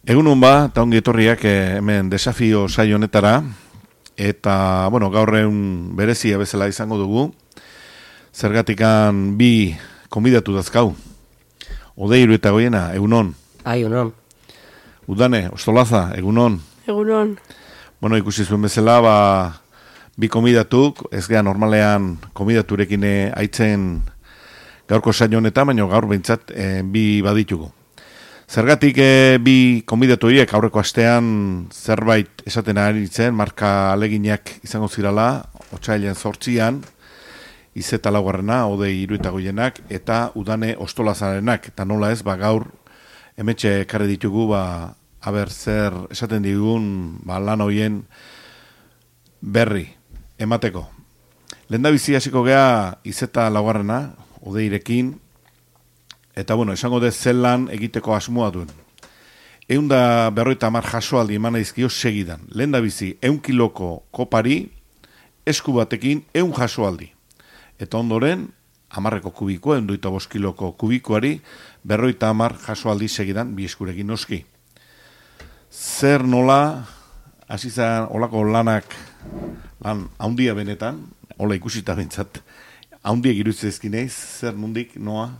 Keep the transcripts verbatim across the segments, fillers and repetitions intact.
Egunon ba, eta ongi etorriak eh, hemen desafio saio honetara, eta, bueno, gaur egun berezia bezala izango dugu, zergatikan bi konbidatu dazkau. Odeiru eta goiena, egunon. Ai, egunon. Udane, Ostolaza, egunon. Egunon. Bueno, ikusi zuen bezala, ba, bi konbidatuk, ez geha normalean konbidaturekin eh, aitzen gaurko saio honetan, baina gaur behintzat eh, bi baditugu. Zergatik e, bi konbidatu horiek aurreko astean zerbait esaten ari zen, marka aleginak izango zirala, otsailean zortzian, izeta laugarrena, odei iruita goienak, eta udane Ostolazarenak, eta nola ez, ba, gaur emetxe ekarri ditugu, ba, haber zer esaten digun ba, lan horien berri emateko. Lehendabizi hasiko gea izeta laugarrena, odeirekin, eta bueno, esango dez zelan egiteko asmoa duen. Eunda berroita amar jasoaldi eman izkio segidan. Lehen da bizi, eun kiloko kopari, esku batekin, eun jasoaldi. Eta ondoren, amarreko kubikoa, eunduita bost kiloko kubikoari, berroita amar jasoaldi segidan, bi eskurekin noski. Zer nola, hasizan olako lanak, lan haundia benetan, hola ikusita bentsat, haundiek irutzezkineiz, zer nondik, noa?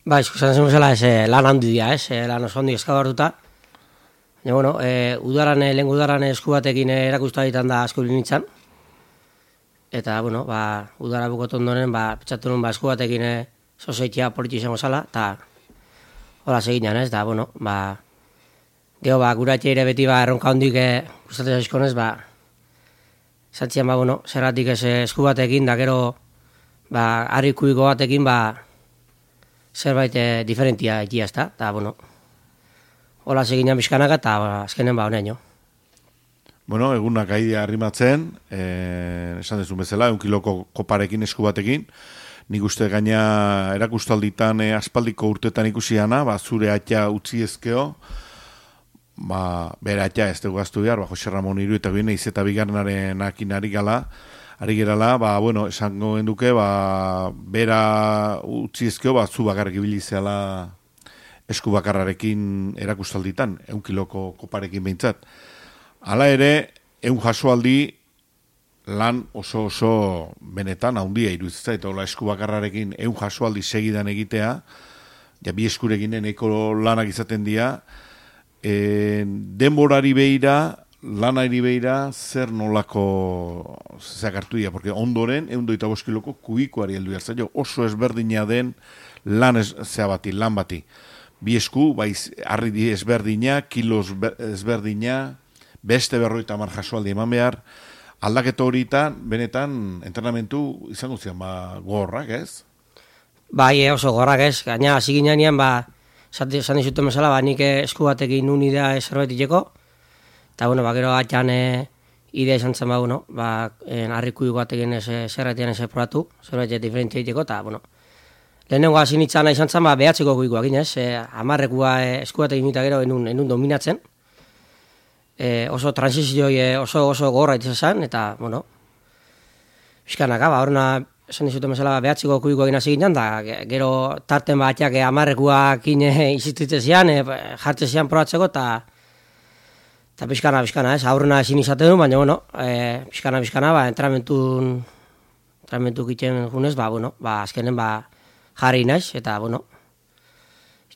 Ba, izkusten zen bezala, ez, lan handi dira, ez, lan oso handi eskabartuta. Baina, bueno, e, udaran, lehen udaran esku batekin erakusta ditan da asko nintzen. Eta, bueno, ba, udara bukot ondoren, ba, pentsatu nuen, ba, esku batekin sozeitia politi izango zala, eta hola seginan, ez, da, bueno, ba, geho, ba, gura etxe ere beti, ba, erronka hondik gustatzen zaizkonez, ba, zantzian, ba, bueno, zerratik ez esku batekin, da, gero, ba, harri kubiko batekin, ba, zerbait eh, diferentia egia ezta, eta, bueno, hola seginan bizkanaka, eta ba, azkenen ba honean jo. Bueno, egunak aidea arrimatzen, eh, esan dezun bezala, eun kiloko koparekin esku batekin, nik uste gaina erakustalditan eh, aspaldiko urtetan ikusiana, ba, zure atia utzi ezkeo, ba, bere atia ez dugu gaztu behar, ba, Jose Ramon Iru eta gine izeta bigarnaren akin ari gala, Ari gerala, ba, bueno, esango genduke, ba, bera utzi ezkeo, ba, zu bakarrik ibili zeala esku bakarrarekin erakustalditan, eun kiloko koparekin behintzat. Hala ere, eun jasoaldi lan oso oso benetan haundia iruditzen, eta hola esku bakarrarekin eun jasoaldi segidan egitea, ja bi eskurekin nahiko lanak izaten dira, e, denborari behira, lanari beira zer nolako zakartu dira, porque ondoren eundoita bost kiloko kubikoari heldu jartzaio, oso ezberdina den lan ez, bati, lan bati. Bi esku, baiz, harri ezberdina, kilos ezberdina, beste berroita amar jasoaldi eman behar, aldaketa horietan, benetan, entrenamentu izango zian, ba, gorrak, ez? Bai, oso gorrak ez, gaina hasi ginean, ba, zan dizuten bezala, ba, nik esku batekin nun idea zerbait iteko, eta, bueno, ba, gero atxan e, idea izan zen, ba, bueno, ba, harriku batekin zerretian ez probatu, zerbait diferentzia egiteko, eta, bueno, lehenengo hasi nintzen izan zen, ba, behatzeko kuikoak ginez, e, amarrekua e, esku batekin eta gero enun, enun dominatzen, e, oso transizio e, oso oso gorra izan zen, eta, bueno, bizkanaka, ba, horrena, esan dizuten bezala, behatzeko kuikoak hasi ginen, da, gero tarten ba, atxak amarrekuak izitzen zian, e, jartzen zian probatzeko, eta, Eta pixkana, pixkana, ez, aurrena ezin izaten du, baina, bueno, e, pixkana, pixkana, ba, entramentu, entramentu kitzen junez, ba, bueno, ba, azkenen, ba, jarri naiz, eta, bueno,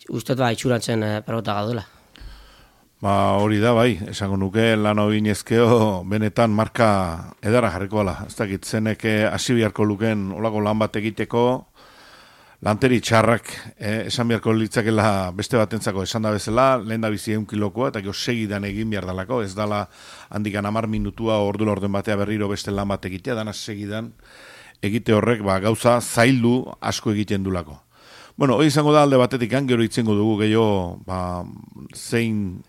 uste ba, itxurantzen e, pelota gaudela. Ba, hori da, bai, esango nuke, lan hori inezkeo, benetan marka edara jarriko ala. Ez dakit, zenek hasi biharko luken olako lan bat egiteko, lanteri txarrak, eh, esan beharko litzakela beste batentzako esan da bezala, lehen da bizi eun kilokoa, eta gero segidan egin behar dalako, ez dala handikan amar minutua ordula orden batea berriro beste lan bat egitea, dana segidan egite horrek ba, gauza zaildu asko egiten dulako. Bueno, hori izango da alde batetik, gero itzengo dugu gehiago ba, zein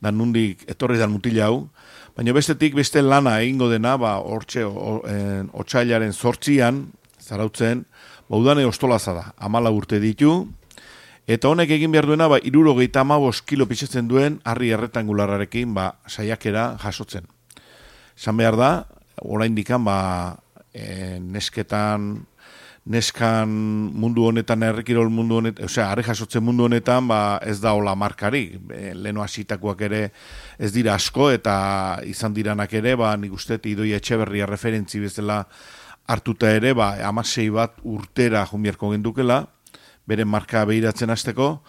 dan nundik etorri dan mutila hau, baina bestetik beste lana egingo dena, ba, hortxe, otsailaren zortzian, zarautzen, Udane Ostolaza da, amala urte ditu, eta honek egin behar duena, ba, irurogeita amabos kilo pixetzen duen harri erretangulararekin ba, saiakera jasotzen. Esan behar da, orain dikan, ba, e, nesketan neskan mundu honetan, herrikirol mundu honetan, osea, are jasotzen mundu honetan, ba, ez da hola markari. E, leno hasitakoak ere ez dira asko, eta izan diranak ere, ba, nik uste, Idoia Etxeberria referentzi bezala hartuta ere, ba, amasei bat urtera junbierko gendukela, beren marka behiratzen hasteko,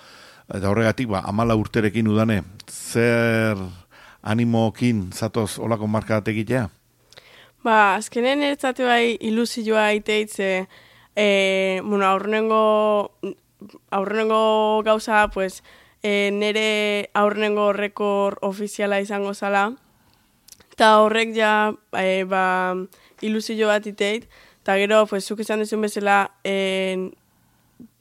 eta horregatik, ba, amala urterekin udane, zer animokin zatoz olako marka bat egitea? Ba, azkenen ertzate bai ilusioa iteitze, e, bueno, aurrenengo, aurrenengo gauza, pues, e, nere aurrenengo rekord ofiziala izango zala, eta horrek ja, e, ba, ilusio bat iteit, eta gero, pues, zuk izan duzun bezala, e,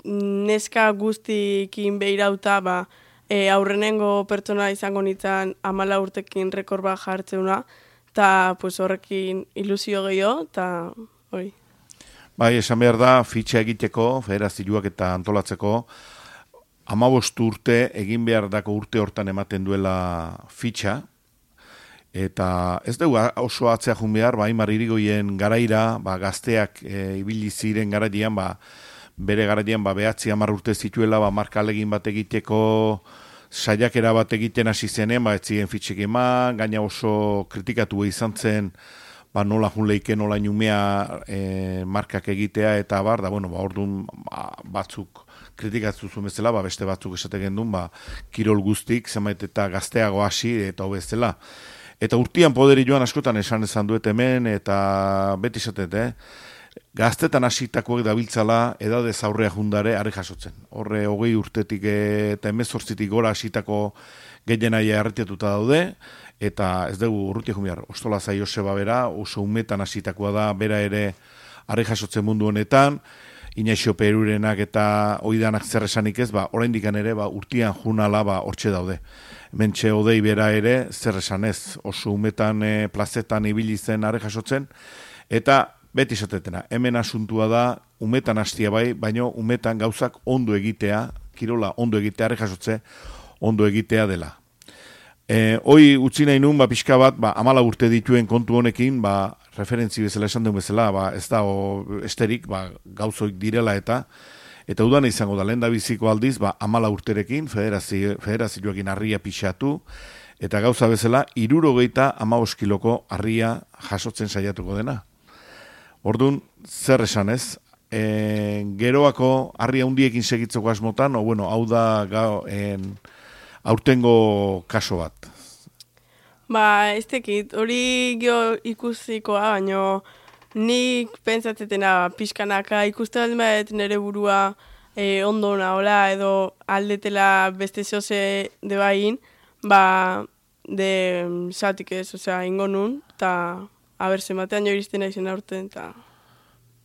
neska guztikin behirauta, ba, e, aurrenengo pertsona izango nintzen amala urtekin rekord bat jartzeuna, eta pues, horrekin ilusio gehiago, eta hori. Bai, esan behar da, fitxa egiteko, federazioak eta antolatzeko, hamabost urte, egin behar dako urte hortan ematen duela fitxa, eta ez dugu oso atzea jun behar, ba, Aimar Irigoyen garaira, ba, gazteak e, ibili ziren garaian, ba, bere garaian, ba, behatzi hamar urte zituela, ba, marka alegin bat egiteko, saiakera bat egiten hasi zenen, ba, ez ziren fitxek eman, gaina oso kritikatu izan zen, ba, nola jun leike, nola inumea e, markak egitea, eta bar, da, bueno, ba, orduan ba, batzuk kritikatzu zuen bezala, ba, beste batzuk esateken duen, ba, kirol guztik, zenbait eta gazteago hasi, eta hobezela. Eta urtian poderi joan askotan esan ezan duet hemen, eta beti esatet, eh? Gaztetan hasitakoek dabiltzala edadez aurrea jundare are jasotzen. Horre hogei urtetik eta hemezortzitik gora hasitako gehienaia erretiatuta daude, eta ez dugu urrutia jumiar, Ostola Zai Joseba bera, oso umetan hasitakoa da, bera ere are jasotzen mundu honetan, Inaxio Perurenak eta oidanak zer esanik ez, ba, oraindik ere, ba, urtian junala, ba, hortxe daude. Mentxe odei bera ere, zer esan ez, oso umetan e, plazetan ibili zen are jasotzen, eta beti esatetena, hemen asuntua da, umetan hastia bai, baino umetan gauzak ondo egitea, kirola ondo egitea, are jasotze, ondo egitea dela. E, hoi utzi nahi nun, ba, pixka bat, ba, amala urte dituen kontu honekin, ba, referentzi bezala esan duen bezala, ba, ez da o, esterik, ba, gauzoik direla eta, eta udan izango da, lehen da biziko aldiz, ba, amala urterekin, federazio, federazioekin harria pixatu, eta gauza bezala, irurogeita amabos kiloko harria jasotzen saiatuko dena. Orduan, zer esan ez, e, geroako harria hundiekin segitzeko asmotan, o bueno, hau da gau, en, aurtengo kaso bat. Ba, ez tekit, hori gio ikusikoa, baino nik pentsatzetena pixkanaka ikuste bat nire burua e, ondo nahola edo aldetela beste zoze de bain, ba, de satik ez, osea, ingo nun, eta aber, zematean jo iristen aizen aurten, eta...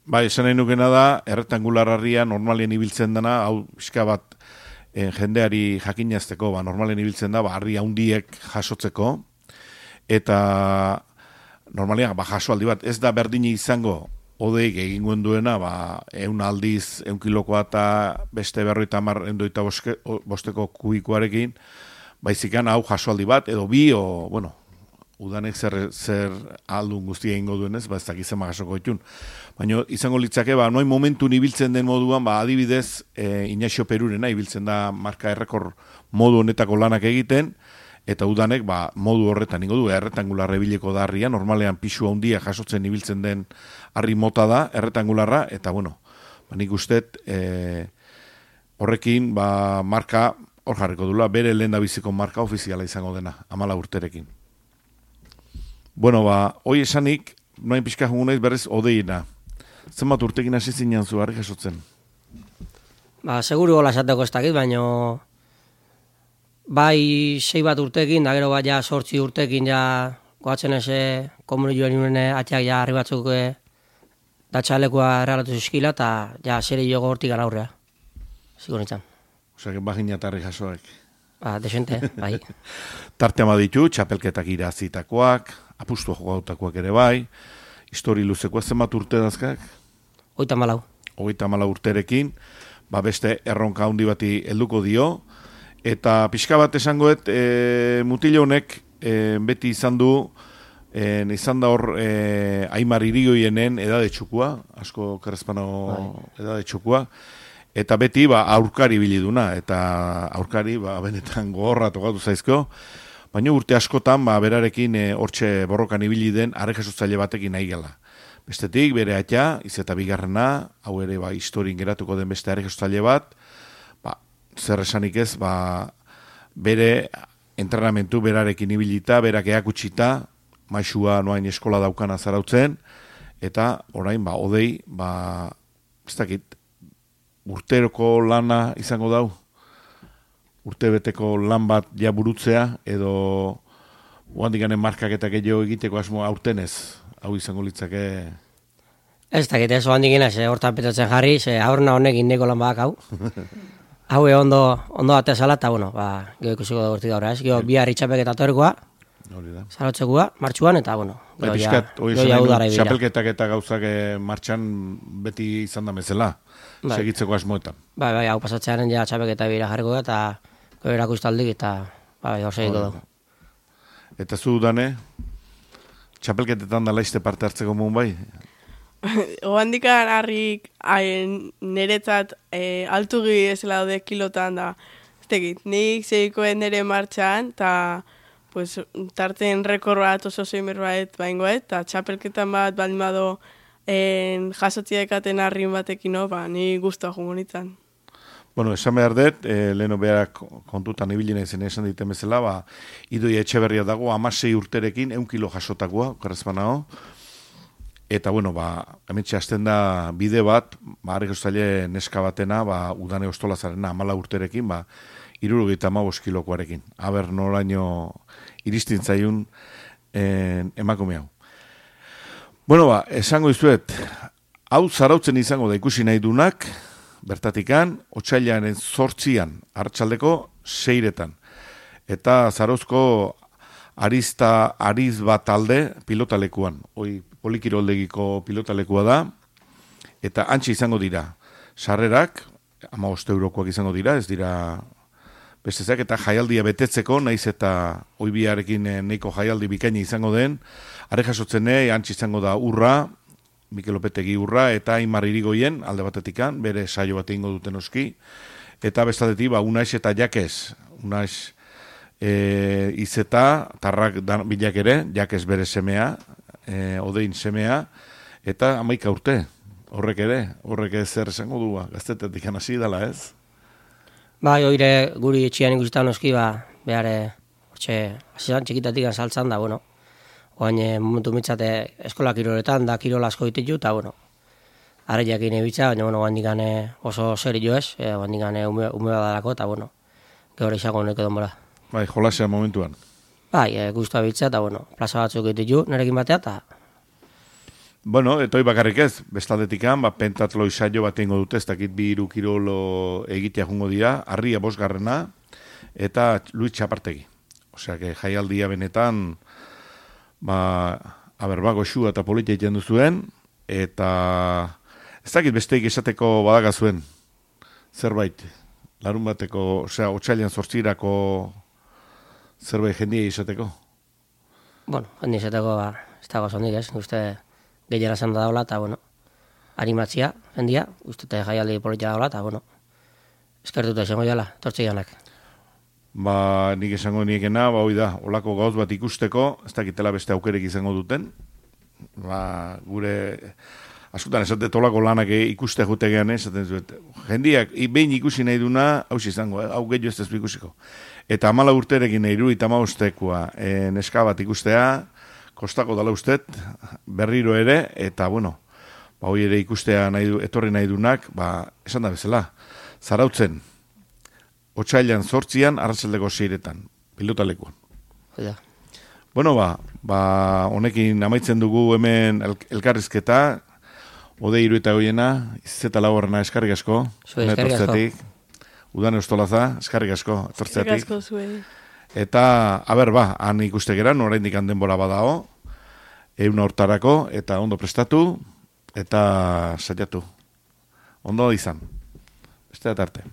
Ba, esan nahi nukena da, errektangular harria normalien ibiltzen dena, hau pixka bat eh, jendeari jakinazteko, ba, normalien ibiltzen da, ba, harria hundiek jasotzeko, eta normalian, ba, jaso aldi bat, ez da berdini izango, odeik egin duena, ba, eun aldiz, eun kilokoa eta beste berroita mar, endoita boske, bosteko kubikoarekin, baizikan hau jaso aldi bat, edo bi, o, bueno, udanek zer, zer aldun guztia egingo duenez, ba ez dakizema jasoko ditun. Baina izango litzake, ba, noin momentu ibiltzen den moduan, ba, adibidez, e, Inaxio Perurena ibiltzen da marka errekor modu honetako lanak egiten, eta udanek, ba, modu horretan ingo du, erretangularra ebileko da harria, normalean pixua handia jasotzen ibiltzen den harri mota da, erretangularra, eta bueno, ba, nik ustet, e, horrekin, ba, marka, hor jarriko dula, bere lehen da biziko marka ofiziala izango dena, amala urterekin. Bueno, ba, hoi esanik, noain pixka jungunaiz berriz odeina. Zenbat urtekin hasi zinean zu, harri jasotzen? Ba, seguru gola esateko ez dakit, baino bai sei bat urtekin, da gero bat ja sortzi urtekin ja goatzen eze komunioen nune atxak ja harri batzuk e, datxalekoa erralatu zizkila, eta ja zere jogo hortik gara aurrea. Ziko nintzen. Osa, bagina eta harri jasoek. Ba, desente, bai. Tarte ama ditu, txapelketak irazitakoak, apustu jogautakoak ere bai, histori luzekoa zenbat urte dazkak? Oita malau. Oita malau urterekin, ba beste erronka handi bati helduko dio, eta pixka bat esangoet, e, mutilo honek e, beti izan du En, izan da hor e, Aimar Irigoienen edade txukua, asko Kerrezpano edade txukua, eta beti ba, aurkari biliduna, eta aurkari ba, benetan gogorra tokatu zaizko, baina urte askotan ba, berarekin hortxe borrokan ibili den arrekasotzaile batekin nahi gala. Bestetik, bere aita, izeta bigarrena, hau ere ba, historin geratuko den beste arrekasotzaile bat, ba, zer esanik ez, ba, bere entrenamentu berarekin ibilita, berak eakutsita, maixua noain eskola daukana zarautzen, eta orain, ba, odei, ba, ez dakit, urteroko lana izango dau, urtebeteko lan bat ja burutzea, edo oandikanen markaketak gehiago egiteko asmo aurtenez, hau izango litzake... Ez dakit, ez oandikina, ze hortan petatzen jarri, ze aurna honek indeko lan bak hau. Hau ondo, ondo atezala, eta bueno, ba, geho ikusiko da urtik gaur, ez? Geho bihar itxapek eta torkoa, zarotzekoa, martxuan, eta bueno, bai, pixkat, xapelketak eta gauzak martxan beti izan da mezela, bai. Segitzeko asmoetan. Bai, bai, hau pasatzearen ja txapelketa bira jarriko da, eta gero erakustaldik, eta bai, hor segiko dugu. Eta zu, Dane, txapelketetan da laizte parte hartzeko mun bai? Oandikan harrik niretzat e, altugi ezela daude kilotan da, ez tegit, nik segikoen nire martxan, eta pues, tarten rekor bat oso zeimer bat baingoet, eta txapelketan bat baldin bado en, jasotzia ekaten harrin batekin, no, ba, ni guztua jungo nintzen. Bueno, esan behar dut, e, leheno behar kontutan ibilina izan esan diten bezala, ba, Idoia Etxeberria dago, amasei urterekin, eun kilo jasotakoa, Kerrezpanao, eta, bueno, ba, hementxe hasten da bide bat, ba, arrekostzaile neska batena, ba, udane ostolazarena, amala urterekin, ba, irurogeita amabos kilokoarekin. Aber noraino iristin zaiun en, emakume hau. Bueno, ba, esango izuet, hau zarautzen izango da ikusi nahi dunak, bertatikan, otsailaren zortzian, hartxaldeko seiretan. Eta zarauzko arista, ariz bat talde pilotalekuan. Hoi, polikiroldegiko pilotalekua da, eta antxe izango dira. Sarrerak, hamabost eurokoak izango dira, ez dira bestezak, eta jaialdia betetzeko, naiz eta oibiarekin neiko jaialdi bikaini izango den, are jasotzene, antxe izango da urra, Mikel Opetegi urra, eta Aimar Irigoien, alde batetikan, bere saio bat egingo duten oski, eta bestaldetik, ba, Unaiz eta Jakez, Unaiz e, izeta, tarrak bilak ere, Jakez bere semea, e, odein semea, eta amaika urte, horrek ere, horrek ez zer esango du, gaztetetik hasi dela ez? Bai, oire guri etxian ikusitan oski, ba, behar, hortxe, hasizan txikitatik saltzan da, bueno, oain momentu mitzate eskola kiroletan, da kirola asko dititu, eta, bueno, arreiak inebitza, baina, bueno, oain dikane oso seri joez, e, oain dikane ume, ume badarako, eta, bueno, gehore izango neko denbora. Bai, jolasea momentuan. Bai, e, guztua bitza, eta, bueno, plaza batzuk dititu, nerekin batea, eta... Bueno, etoi bakarrik ez, bestaldetikan, ba, pentatloi saio bat ingo dute, ez dakit bi hiru kirolo egitea jungo dira, Arria bosgarrena, eta Luis Txapartegi. Osea, que jaialdia benetan, ba, aber, ba, goxua eta politia egiten duzuen, eta ez dakit besteik esateko badaga zuen, zerbait, larun bateko, osea, otsailean zortzirako zerbait jendia esateko. Bueno, jendia esateko, ba, ez dago zondik ez, uste... gehiara zan da daula, eta, bueno, animatzia, jendia, uste jaialdi politia daula, eta, bueno, eskertuta esango jala, tortzi janak. Ba, nik esango niekena, ba, hoi da, olako gauz bat ikusteko, ez dakitela beste aukerek izango duten, ba, gure, askotan esatet olako lanak ikuste jutegean, esaten zuet, jendiak, behin ikusi nahi duna, hau izango, eh? Hau gehiago ez da ikusiko. Eta amala urterekin nahi du, eta amabostekoa, e, neska bat ikustea, kostako dala ustet, berriro ere, eta, bueno, ba, hoi ere ikustea nahi du, etorri nahi dunak, ba, esan da bezala, zarautzen, otsailan zortzian, arratsaldeko seiretan, pilotalekuan. Ja. Bueno, ba, ba, honekin amaitzen dugu hemen el, elkarrizketa, ode hiru eta goiena, izeta laborrena eskarrik asko, eskarrik asko. Udane Ostolaza, eskarrik asko, etortzeatik. Eskarrik asko zuen. Eta, haber, ba, han ikustegeran, oraindik denbora badao, euna hortarako, eta ondo prestatu, eta saiatu. Ondo izan. Beste arte.